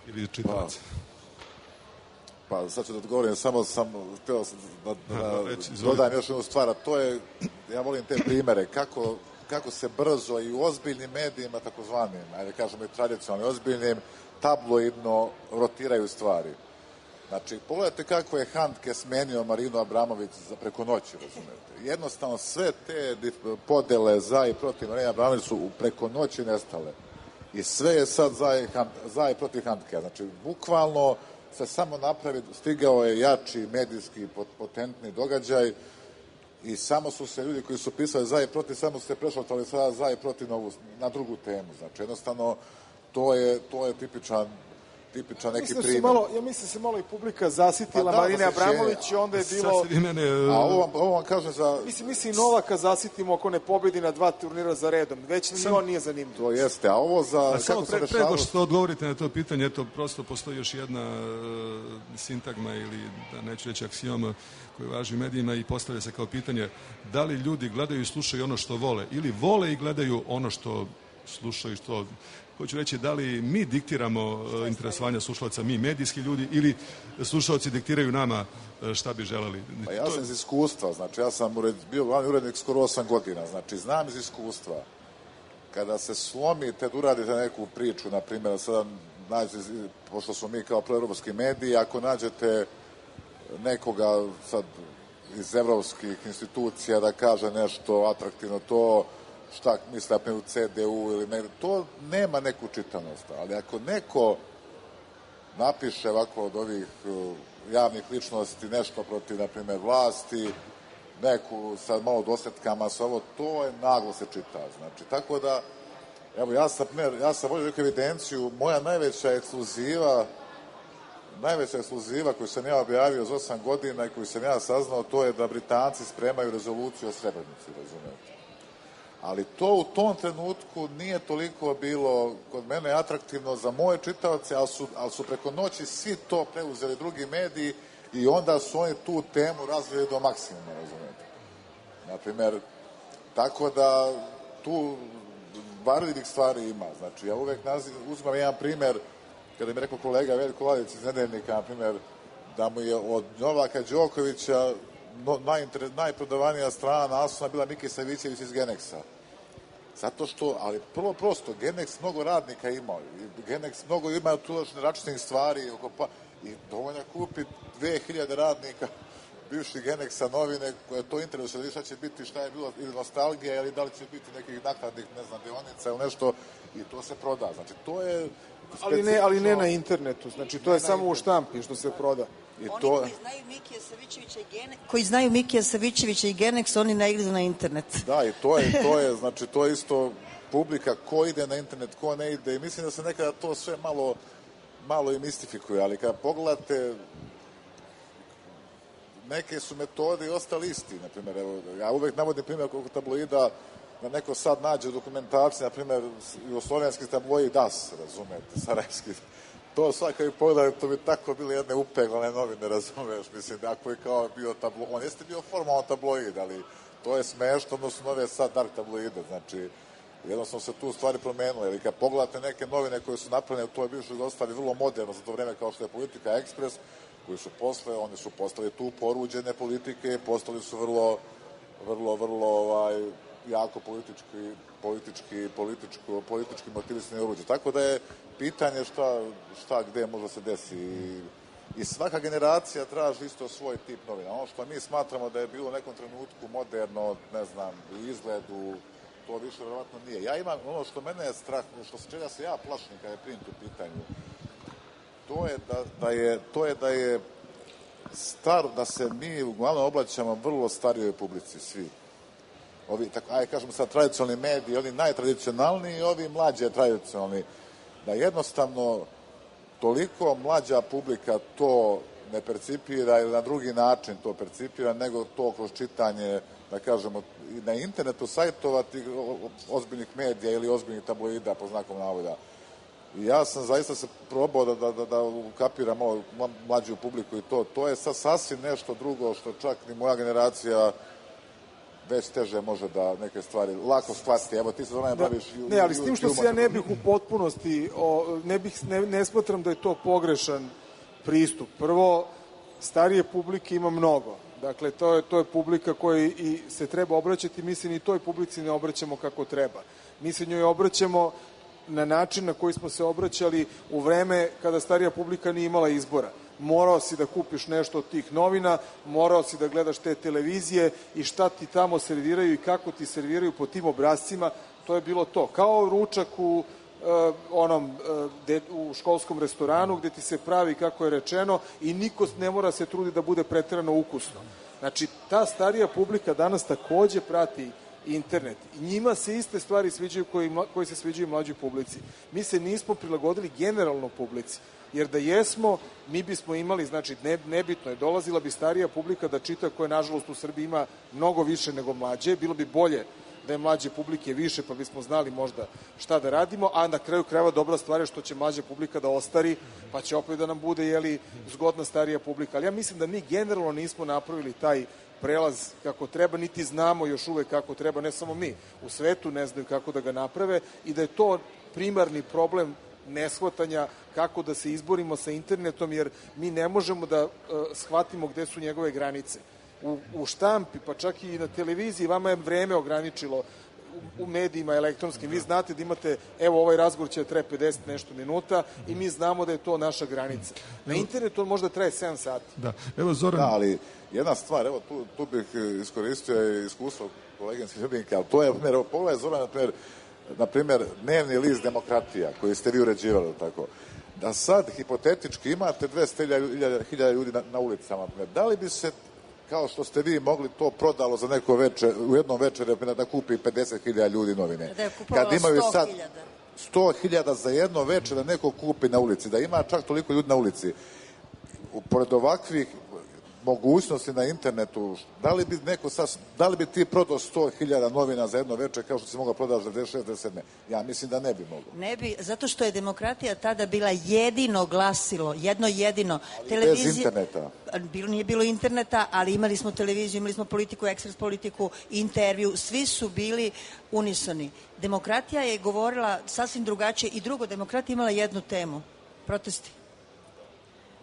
Ili čitalaca? Pa, pa sad ću da odgovorim, samo sam htio da, da, da dodam još jednu stvar, a to je, ja volim te primere, kako kako se brzo i u ozbiljnim medijima, takozvanim, ajde kažemo i tradicionalnim, ozbiljnim, tabloidno rotiraju stvari. Znači, pogledajte kako je Handke smenio Marinu Abramović za preko noći, razumete. Jednostavno, sve te podele za i protiv Marine Abramović su preko noći nestale. I sve je sad za i, za i protiv Handke. Znači, bukvalno se samo napravi, stigao je jači medijski potentni događaj i samo su se ljudi koji su pisali za i protiv, samo su se prešaltali sada za i protiv novu, na drugu temu. Znači, jednostavno, to je, to je tipičan tipičan neki primjer. Malo, ja mislim da se malo i publika zasitila pa da, Marine Abramović i onda je bilo... Mene, a ovo vam, ovo vam kažem za... Mislim, mislim i Novaka zasitimo ako ne pobedi na dva turnira za redom. Već ni on nije zanimljiv. To jeste, a ovo za... A samo pre, pre nego što odgovorite na to pitanje, eto, prosto postoji još jedna uh, sintagma ili, da neću reći aksioma, koji važi u medijima i postavlja se kao pitanje da li ljudi gledaju i slušaju ono što vole ili vole i gledaju ono što slušaju, što... Hoću reći, da li mi diktiramo uh, interesovanja slušalaca, mi medijski ljudi, ili slušalci diktiraju nama uh, šta bi želeli? Pa ja sam iz iskustva, znači ja sam ured, bio glavni urednik skoro osam godina, znači znam iz iskustva. Kada se slomite da uradite neku priču, na primjer, sada nađete, pošto smo mi kao proevropski mediji, ako nađete nekoga sad iz evropskih institucija da kaže nešto atraktivno, to šta misle u C D U ili negde, to nema neku čitanost. Ali ako neko napiše ovako od ovih uh, javnih ličnosti nešto protiv, na primjer, vlasti, neku sa malo dosletkama, sa ovo, to je naglo se čita. Znači, tako da, evo, ja sam, ja sam vodio neku evidenciju, moja najveća ekskluziva, najveća ekskluziva koju sam ja objavio za osam godina i koju sam ja saznao, to je da Britanci spremaju rezoluciju o Srebrenici, razumete. Ali to u tom trenutku nije toliko bilo kod mene atraktivno za moje čitaoce, ali su, ali su preko noći svi to preuzeli drugi mediji i onda su oni tu temu razvili do maksimuma, razumete. Naprimer, tako da tu varljivih stvari ima. Znači, ja uvek naziv, uzmam jedan primer, kada mi rekao kolega Veljko Lalić iz Nedeljnika, na primjer, da mu je od Novaka Đokovića No, najinter, najprodavanija strana naslova bila Miki Savićević iz Genexa. Zato što, ali prvo prosto, Genex mnogo radnika ima. Genex mnogo ima tuločne računnih stvari oko pa, i dovoljno kupi dve hiljade radnika bivših Genexa novine koje to interesuje, šta će biti, šta je bilo, ili nostalgija, ili da li će biti nekih nakladnih, ne znam, dionica ili nešto, i to se proda. Znači, to je... Ali ne, ali ne na internetu, znači to je samo u štampi što se proda. I to... Oni koji znaju Mikija Savićevića i Genex, koji znaju Mikija Savićevića i Genex, oni ne idu na internet. Da, i to je, to je, znači, to je isto publika ko ide na internet, ko ne ide, i mislim da se nekada to sve malo, malo i mistifikuje, ali kada pogledate, neke su metode i ostali isti, na primjer, evo, ja uvek navodim primjer koliko tabloida, da neko sad nađe dokumentaciju, na primjer, jugoslovenski tabloid Das, razumete, sarajevski. To svaka i pogledaj, to bi tako bile jedne upeglane novine, razumeš, mislim, ako je kao bio tabloid, on jeste bio formalno tabloid, ali to je smešno, odnosno nove sad dark tabloide, znači, jednostavno se tu stvari promenile, ili kad pogledate neke novine koje su napravljene u toj bivšoj Jugoslaviji vrlo moderno za to vreme, kao što je Politika Ekspres, koji su posle, oni su postali tu poruđene politike, postali su vrlo, vrlo, vrlo, ovaj, jako politički, politički, političko, politički motivisani oruđe. Tako da je pitanje šta, šta gde možda se desi. I, i svaka generacija traži isto svoj tip novina. Ono što mi smatramo da je bilo u nekom trenutku moderno, ne znam, u izgledu, to više vjerovatno nije. Ja imam ono što mene je strah, što se čega se ja plašim kada je print u pitanju, to je da, da je, to je da je star, da se mi uglavnom obraćamo vrlo starijoj publici, svi. Ovi, tako, aj kažemo sad, tradicionalni mediji, oni najtradicionalniji i ovi mlađe tradicionalni, da jednostavno toliko mlađa publika to ne percipira ili na drugi način to percipira, nego to kroz čitanje, da kažemo, na internetu sajtova tih ozbiljnih medija ili ozbiljnih tabloida, po znakom navoda. I ja sam zaista se probao da, da, da, da ukapiram malo mlađu publiku i to. To je sad sasvim nešto drugo što čak ni moja generacija već teže može da neke stvari lako shvatiti. Evo, ti se zove da, baviš... Ne, ali s tim što se ja ne bih u potpunosti, o, ne, bih, ne, ne smatram da je to pogrešan pristup. Prvo, starije publike ima mnogo. Dakle, to je, to je publika koja i se treba obraćati. Mi se ni toj publici ne obraćamo kako treba. Mi se njoj obraćamo na način na koji smo se obraćali u vreme kada starija publika nije imala izbora. Morao si da kupiš nešto od tih novina, morao si da gledaš te televizije i šta ti tamo serviraju i kako ti serviraju po tim obrascima, to je bilo to. Kao ručak u, uh, onom uh, de, u školskom restoranu gde ti se pravi kako je rečeno i niko ne mora se trudi da bude preterano ukusno. Znači, ta starija publika danas takođe prati internet. I njima se iste stvari sviđaju koji, koji se sviđaju mlađoj publici. Mi se nismo prilagodili generalno publici. Jer da jesmo, mi bismo imali, znači, ne, nebitno je, dolazila bi starija publika da čita, koja nažalost u Srbiji ima mnogo više nego mlađe. Bilo bi bolje da je mlađe publike više, pa bismo znali možda šta da radimo, a na kraju krajeva dobra stvar je što će mlađa publika da ostari, pa će opet da nam bude, jeli, zgodna starija publika. Ali ja mislim da mi generalno nismo napravili taj prelaz kako treba, niti znamo još uvek kako treba, ne samo mi, u svetu ne znaju kako da ga naprave i da je to primarni problem neshvatanja kako da se izborimo sa internetom, jer mi ne možemo da uh, shvatimo gde su njegove granice. U, u štampi, pa čak i na televiziji, vama je vreme ograničilo u, u medijima elektronskim. Vi znate da imate, evo ovaj razgovor će traje pedeset nešto minuta i mi znamo da je to naša granica. Na internetu on možda traje sedam sati. Da, evo Zoran. Da, ali jedna stvar, evo tu, tu bih iskoristio iskustvo koleginske Ljubinke, ali to je, evo, pogledaj Zoran, na primjer, na primjer, dnevni list Demokratija, koji ste vi uređivali, tako, da sad, hipotetički, imate dvesta hiljada ljudi na, na ulicama, da li bi se, kao što ste vi mogli, to prodalo za neko večer, u jednom večeru da kupi pedeset hiljada ljudi novine? Da je kupovalo sto hiljada. sto hiljada za jedno večer da neko kupi na ulici, da ima čak toliko ljudi na ulici. Pored ovakvih mogućnosti na internetu, da li bi neko sad, da li bi ti prodao sto hiljada novina za jedno večer kao što si mogao prodati za devedeset šest devedeset sedam? Ja mislim da ne bi mogao. Ne bi, zato što je Demokratija tada bila jedino glasilo, jedno jedino. Ali Televizija, bez interneta. Bilo, nije bilo interneta, ali imali smo televiziju, imali smo politiku, ekspres politiku, intervju, svi su bili unisoni. Demokratija je govorila sasvim drugačije i drugo, Demokratija imala jednu temu, protesti.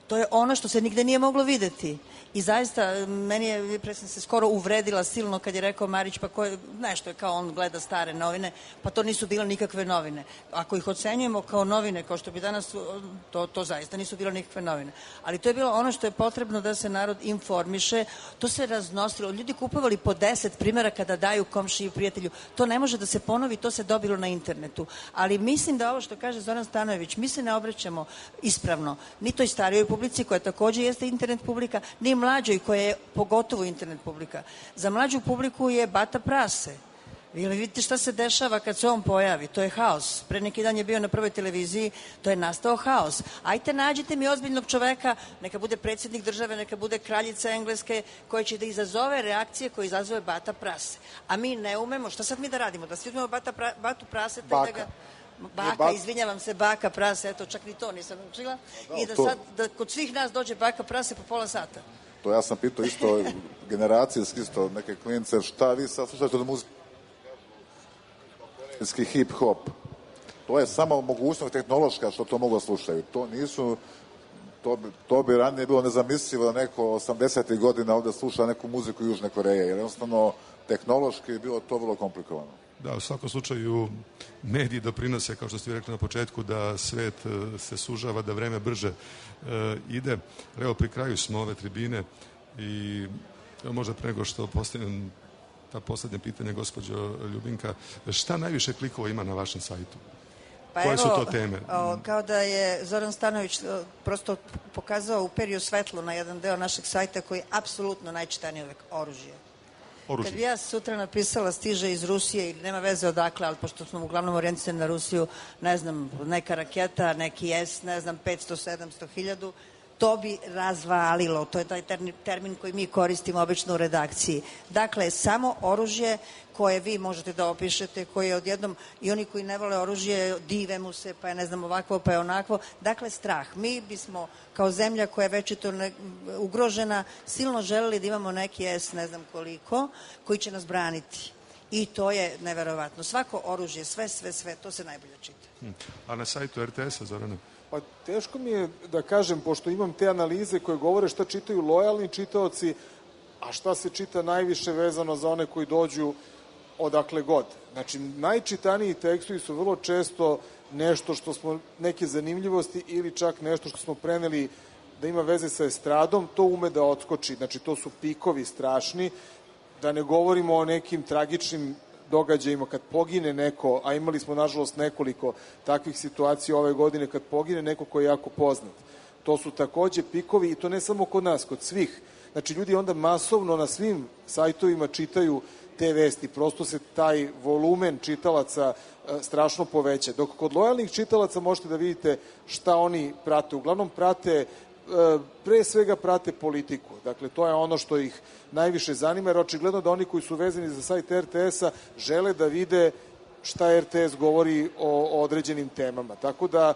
To je ono što se nigde nije moglo videti. I zaista, meni je, pre sam se skoro uvredila silno kad je rekao Marić, pa ko je, nešto je kao on gleda stare novine, pa to nisu bile nikakve novine. Ako ih ocenjujemo kao novine, kao što bi danas, to, to zaista nisu bile nikakve novine. Ali to je bilo ono što je potrebno da se narod informiše, to se raznosilo. Ljudi kupovali po deset primjera kada daju komšiji i prijatelju. To ne može da se ponovi, to se dobilo na internetu. Ali mislim da ovo što kaže Zoran Stanojević, mi se ne obraćamo ispravno ni toj starijoj publici, koja takođe jeste internet publika, ni mlađoj koja je pogotovo internet publika. Za mlađu publiku je bata prase. Vi vidite šta se dešava kad se on pojavi. To je haos. Pre neki dan je bio na prvoj televiziji, to je nastao haos. Ajte, nađite mi ozbiljnog čoveka, neka bude predsjednik države, neka bude kraljica Engleske, koja će da izazove reakcije koje izazove bata prase. A mi ne umemo. Šta sad mi da radimo? Da svi uzmemo bata pra, batu prase? Baka. Da ga, baka, izvinjavam se, baka prase, eto, čak ni to nisam učila. I da sad, da kod svih nas dođe baka prase po pola sata. To ja sam pitao isto generacijski, isto neke klince, šta vi sad slušate od muzike? Hip-hop. To je samo mogućnost tehnološka što to mogu da slušaju. To nisu, to bi, to bi ranije bilo nezamislivo da neko osamdesetih godina ovde sluša neku muziku Južne Koreje, jer jednostavno tehnološki je bilo to vrlo komplikovano. Da, u svakom slučaju mediji doprinose, kao što ste rekli na početku, da svet se sužava, da vreme brže e, ide. Evo, pri kraju smo ove tribine i možda pre nego što postavim ta poslednje pitanje, gospođo Ljubinka, šta najviše klikova ima na vašem sajtu? Pa Koje evo, su to teme? O, kao da je Zoran Stanojević prosto pokazao u periju svetlo na jedan deo našeg sajta koji je apsolutno najčitaniji uvek, oružje. Oružje. Kad bi ja sutra napisala stiže iz Rusije i nema veze odakle, ali pošto smo uglavnom orijentisani na Rusiju, ne znam, neka raketa, neki S, ne znam, petsto, sedamsto, hiljadu, to bi razvalilo. To je taj termin koji mi koristimo obično u redakciji. Dakle, samo oružje koje vi možete da opišete, koje je odjednom, i oni koji ne vole oružje, dive mu se, pa je ne znam ovakvo, pa je onakvo. Dakle, strah. Mi bismo, kao zemlja koja je večito ne, ugrožena, silno želeli da imamo neki S, ne znam koliko, koji će nas braniti. I to je neverovatno. Svako oružje, sve, sve, sve, to se najbolje čita. Hmm. A na sajtu er te esa, Zorana? Pa teško mi je da kažem, pošto imam te analize koje govore šta čitaju lojalni čitaoci, a šta se čita najviše vezano za one koji dođu odakle god. Znači, najčitaniji tekstovi su vrlo često nešto što smo, neke zanimljivosti ili čak nešto što smo preneli da ima veze sa estradom, to ume da odskoči. Znači, to su pikovi strašni, da ne govorimo o nekim tragičnim događajima, kad pogine neko, a imali smo nažalost nekoliko takvih situacija ove godine, kad pogine neko koji je jako poznat. To su takođe pikovi i to ne samo kod nas, kod svih. Znači, ljudi onda masovno na svim sajtovima čitaju te vesti, prosto se taj volumen čitalaca e, strašno poveća. Dok kod lojalnih čitalaca možete da vidite šta oni prate. Uglavnom prate, e, pre svega prate politiku. Dakle, to je ono što ih najviše zanima, jer očigledno da oni koji su vezani za sajt er te esa žele da vide šta er te es govori o, o određenim temama. Tako da,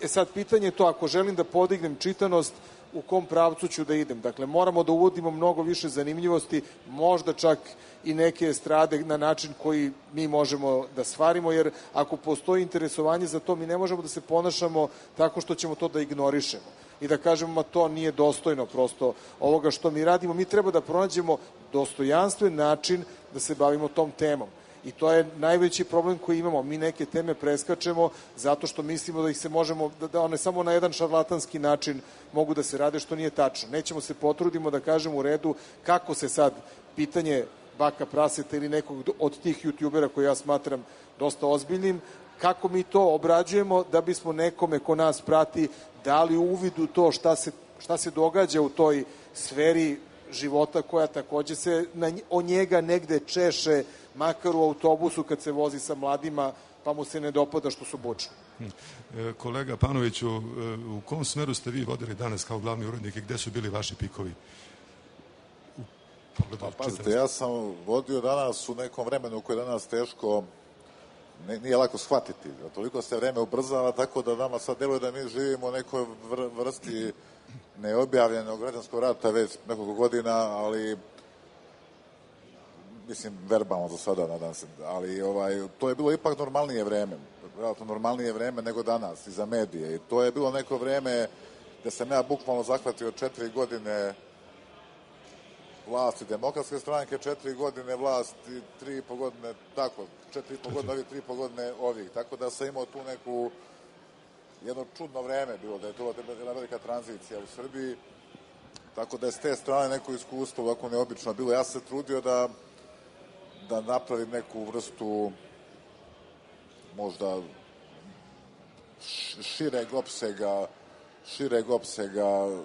sad pitanje je to, ako želim da podignem čitanost, u kom pravcu ću da idem. Dakle, moramo da uvodimo mnogo više zanimljivosti, možda čak i neke estrade na način koji mi možemo da stvarimo, jer ako postoji interesovanje za to, mi ne možemo da se ponašamo tako što ćemo to da ignorišemo i da kažemo, ma to nije dostojno prosto ovoga što mi radimo. Mi treba da pronađemo dostojanstven način da se bavimo tom temom. I to je najveći problem koji imamo. Mi neke teme preskačemo zato što mislimo da ih se možemo, da one samo na jedan šarlatanski način mogu da se rade, što nije tačno. Nećemo se potrudimo da kažemo u redu kako se sad pitanje baka praseta ili nekog od tih youtubera koje ja smatram dosta ozbiljnim, kako mi to obrađujemo da bismo nekome ko nas prati dali uvid u to šta se, šta se događa u toj sferi života koja takođe se na, o njega negde češe, makar u autobusu kad se vozi sa mladima, pa mu se ne dopada što su bučni. Kolega Panoviću, u kom smeru ste vi vodili danas kao glavni urednik i gde su bili vaši pikovi? Pa pazite, ja sam vodio danas u nekom vremenu koje je danas teško, ne, nije lako shvatiti. Toliko se vreme ubrzava, tako da nama sad deluje da mi živimo u nekoj vr, vrsti neobjavljenog građanskog rata već nekoliko godina, ali mislim, verbalno za sada, nadam se, ali ovaj, to je bilo ipak normalnije vreme, relativno normalnije vreme nego danas i za medije. I to je bilo neko vreme gde sam ja bukvalno zahvatio četiri godine vlasti demokratske stranke, četiri godine vlasti, tri i po godine, tako, četiri i po godine ovih, tri i po godine ovih. Tako da sam imao tu neku, jedno čudno vreme bilo, da je to jedna velika tranzicija u Srbiji. Tako da je s te strane neko iskustvo ovako neobično bilo. Ja sam se trudio da da napravim neku vrstu možda šireg opsega šireg opsega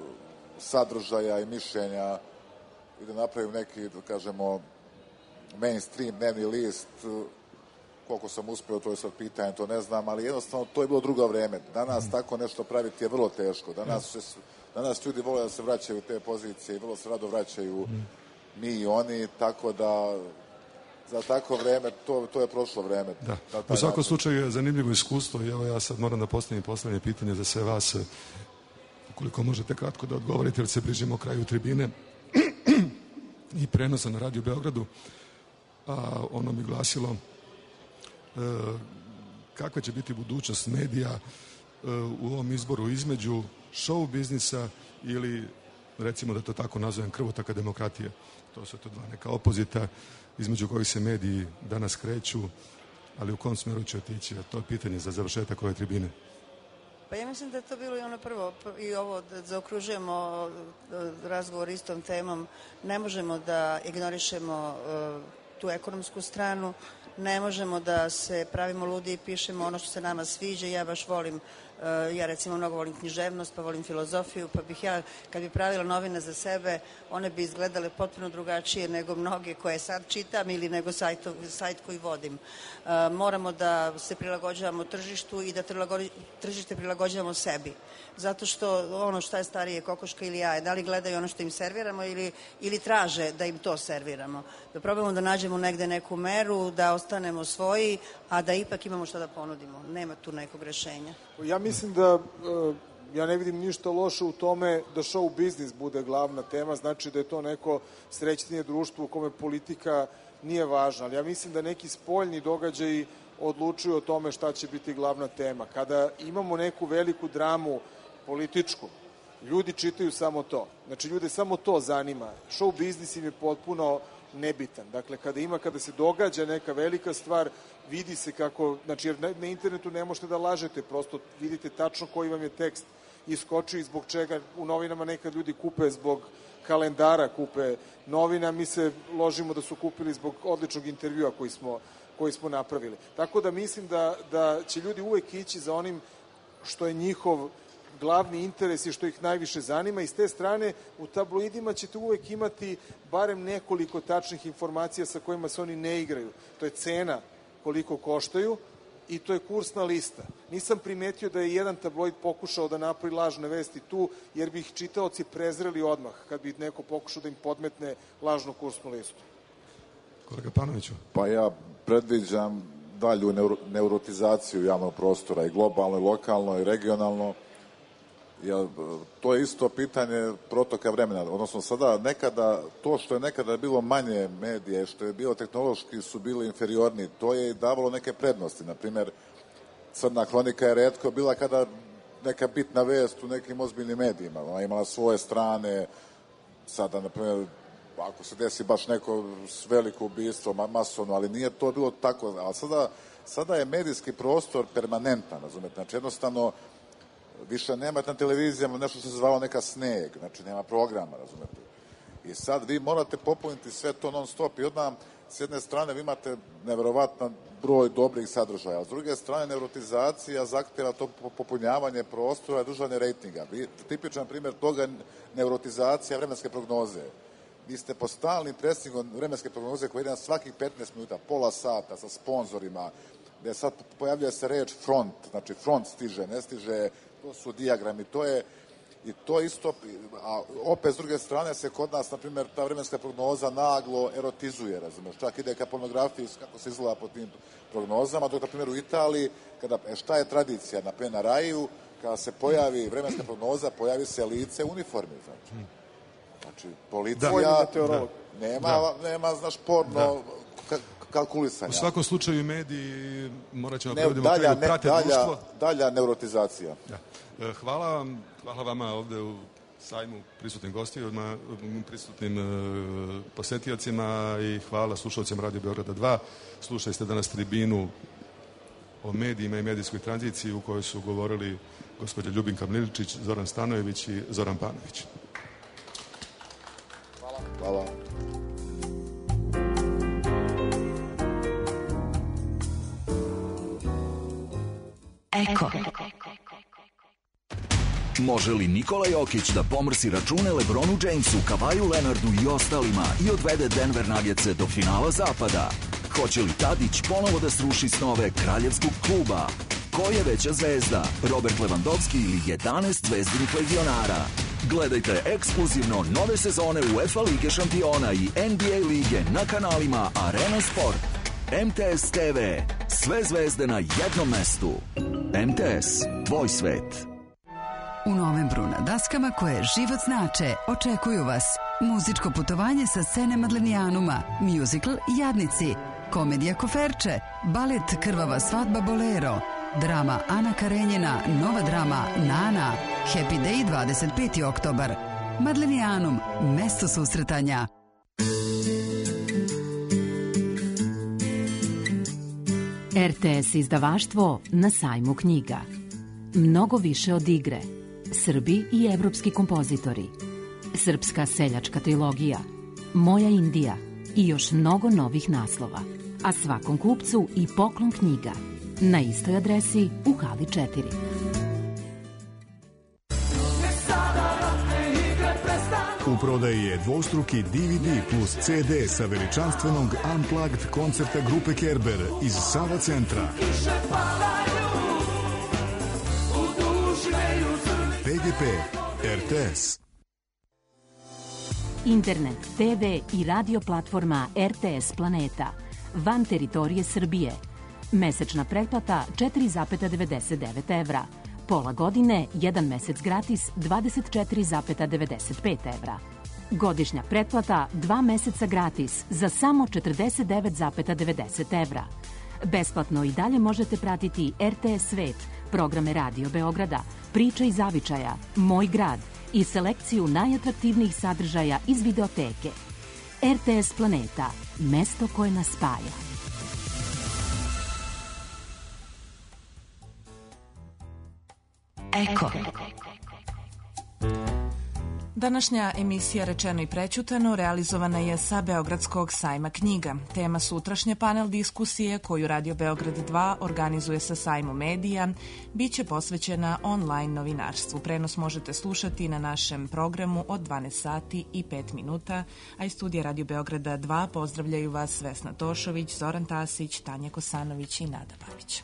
sadržaja i mišljenja i da napravim neki, da kažemo, mainstream dnevni list. Koliko sam uspeo, to je sad pitanje, to ne znam, ali jednostavno to je bilo drugo vreme. Danas tako nešto praviti je vrlo teško. Danas, se, danas ljudi vole da se vraćaju u te pozicije i vrlo se rado vraćaju mi i oni, tako da za tako vreme, to, to je prošlo vreme. Da. U svakom slučaju je zanimljivo iskustvo i evo ja sad moram da postavim poslednje pitanje za sve vas, ukoliko možete kratko da odgovorite, jer se bližimo kraju tribine i prenosa na Radio Beogradu, a ono mi glasilo e, kakva će biti budućnost medija e, u ovom izboru između show biznisa ili, recimo da to tako nazovem, krvotaka demokratije. To su to dva neka opozita između kojih se mediji danas kreću, ali u kom smeru će otići? To je pitanje za završetak ove tribine. Pa ja mislim da je to bilo i ono prvo, i ovo da zaokružujemo razgovor istom temom. Ne možemo da ignorišemo tu ekonomsku stranu, ne možemo da se pravimo ludi i pišemo ono što se nama sviđa. Ja baš volim, ja recimo mnogo volim književnost, pa volim filozofiju, pa bih ja, kad bi pravila novine za sebe, one bi izgledale potpuno drugačije nego mnoge koje sad čitam ili nego sajto, sajt koji vodim. Moramo da se prilagođavamo tržištu i da tržište prilagođavamo sebi. Zato što ono šta je starije, kokoška ili jaje, da li gledaju ono što im serviramo ili, ili traže da im to serviramo. Da probamo da nađemo negde neku meru, da ostanemo svoji, a da ipak imamo šta da ponudimo. Nema tu nekog rešenja. Ja mislim da ja ne vidim ništa loše u tome da show biznis bude glavna tema, znači da je to neko srećnije društvo u kome politika nije važna, ali ja mislim da neki spoljni događaji odlučuju o tome šta će biti glavna tema. Kada imamo neku veliku dramu političku, ljudi čitaju samo to. Znači, ljude samo to zanima. Show biznis im je potpuno nebitan. Dakle, kada ima, kada se događa neka velika stvar, vidi se kako, znači, jer na, na internetu ne možete da lažete, prosto vidite tačno koji vam je tekst iskočio i zbog čega u novinama nekad ljudi kupe zbog kalendara kupe novina, mi se ložimo da su kupili zbog odličnog intervjua koji smo, koji smo napravili. Tako da mislim da, da će ljudi uvek ići za onim što je njihov glavni interes i što ih najviše zanima i s te strane u tabloidima ćete uvek imati barem nekoliko tačnih informacija sa kojima se oni ne igraju. To je cena koliko koštaju i to je kursna lista. Nisam primetio da je jedan tabloid pokušao da napravi lažne vesti tu, jer bi ih čitaoci prezreli odmah kad bi neko pokušao da im podmetne lažnu kursnu listu. Kolega Panoviću. Pa ja predviđam dalju neurotizaciju javnog prostora i globalno, i lokalno, i regionalno. Ja, to je isto pitanje protoka vremena. Odnosno sada nekada, to što je nekada bilo manje medije, što je bilo tehnološki su bili inferiorni, to je davalo neke prednosti. Naprimjer, Crna hronika je retko bila kada neka bitna vest u nekim ozbiljnim medijima. Ona imala svoje strane, sada, naprimjer, ako se desi baš neko veliko ubistvo, masovno, ali nije to bilo tako. Ali sada, sada je medijski prostor permanentan, razumete? Znači, jednostavno, više nema na televizijama nešto se zvalo neka sneg, znači nema programa, razumete. I sad vi morate popuniti sve to non stop i odmah s jedne strane vi imate neverovatan broj dobrih sadržaja, a s druge strane neurotizacija zahtjeva to popunjavanje prostora i držanje rejtinga. Vi, tipičan primjer toga je neurotizacija vremenske prognoze. Vi ste po stalnim presingom vremenske prognoze koje ide na svakih petnaest minuta, pola sata sa sponzorima, gde sad pojavljuje se reč front, znači front stiže, ne stiže, to su dijagrami, to je i to isto, a opet s druge strane se kod nas, na primjer, ta vremenska prognoza naglo erotizuje, razumeš, čak ide ka pornografiji kako se izgleda po tim prognozama, dok, na primjer, u Italiji, kada, šta je tradicija, na primjer, na Raju, kada se pojavi vremenska prognoza, pojavi se lice u uniformi, znači. Znači, policija da. nema, da. nema, znaš, porno da. kalkulisanja. U svakom slučaju mediji, morat ćemo prevodimo kraju, prate dalja, društvo. Dalja neurotizacija. Da. Hvala vam, hvala vama ovde u sajmu prisutnim gostima, prisutnim uh, posetiocima i hvala slušalcima Radio Beograda dva. Slušali ste danas tribinu o medijima i medijskoj tranziciji u kojoj su govorili gospođa Ljubinka Mliličić, Zoran Stanojević i Zoran Panović. Hvala. Hvala. Eko. Može li Nikola Jokić da pomrsi račune LeBronu Jamesu, Kavaju Leonardu i ostalima i odvede Denver Nuggetse do finala zapada? Hoće li Tadić ponovo da sruši snove kraljevskog kluba? Ko je veća zvezda, Robert Lewandowski ili jedanaest zvezdinih legionara? Gledajte ekskluzivno nove sezone UEFA Lige šampiona i N B A lige na kanalima Arena Sport. M T S T V. Sve zvezde na jednom mestu. M T S. Tvoj svet. U novembru na daskama koje život znače očekuju vas muzičko putovanje sa scene Madlenijanuma, musical Jadnici, komedija Koferče, balet Krvava svadba Bolero, drama Ana Karenjina, nova drama Nana, Happy Day dvadeset peti oktobar. Madlenijanum, mesto susretanja. R T S izdavaštvo na sajmu knjiga. Mnogo više od igre. Srbi i evropski kompozitori. Srpska seljačka trilogija. Moja Indija i još mnogo novih naslova. A svakom kupcu i poklon knjiga. Na istoj adresi u hali četiri. U prodaji je dvostruki D V D plus C D sa veličanstvenog Unplugged koncerta grupe Kerber iz Sava centra. P G P, R T S. Internet, T V i radio platforma R T S Planeta. Van teritorije Srbije. Mesečna pretplata četiri zarez devedeset devet evra. Pola godine, jedan mesec gratis, dvadeset četiri zarez devedeset pet evra. Godišnja pretplata, dva meseca gratis, za samo četrdeset devet zarez devedeset evra. Besplatno i dalje možete pratiti R T S Svet, programe Radio Beograda, Priče iz zavičaja, Moj grad i selekciju najatraktivnijih sadržaja iz videoteke. R T S Planeta, mesto koje nas spaja. Eko. Današnja emisija Rečeno i prećutano realizovana je sa Beogradskog sajma knjiga. Tema sutrašnje panel diskusije koju Radio Beograd dva organizuje sa sajmom medija biće posvećena online novinarstvu. Prenos možete slušati na našem programu od dvanaest sati i pet minuta, a iz studija Radio Beograda dva pozdravljaju vas Vesna Tošović, Zoran Tasić, Tanja Kosanović i Nada Babić.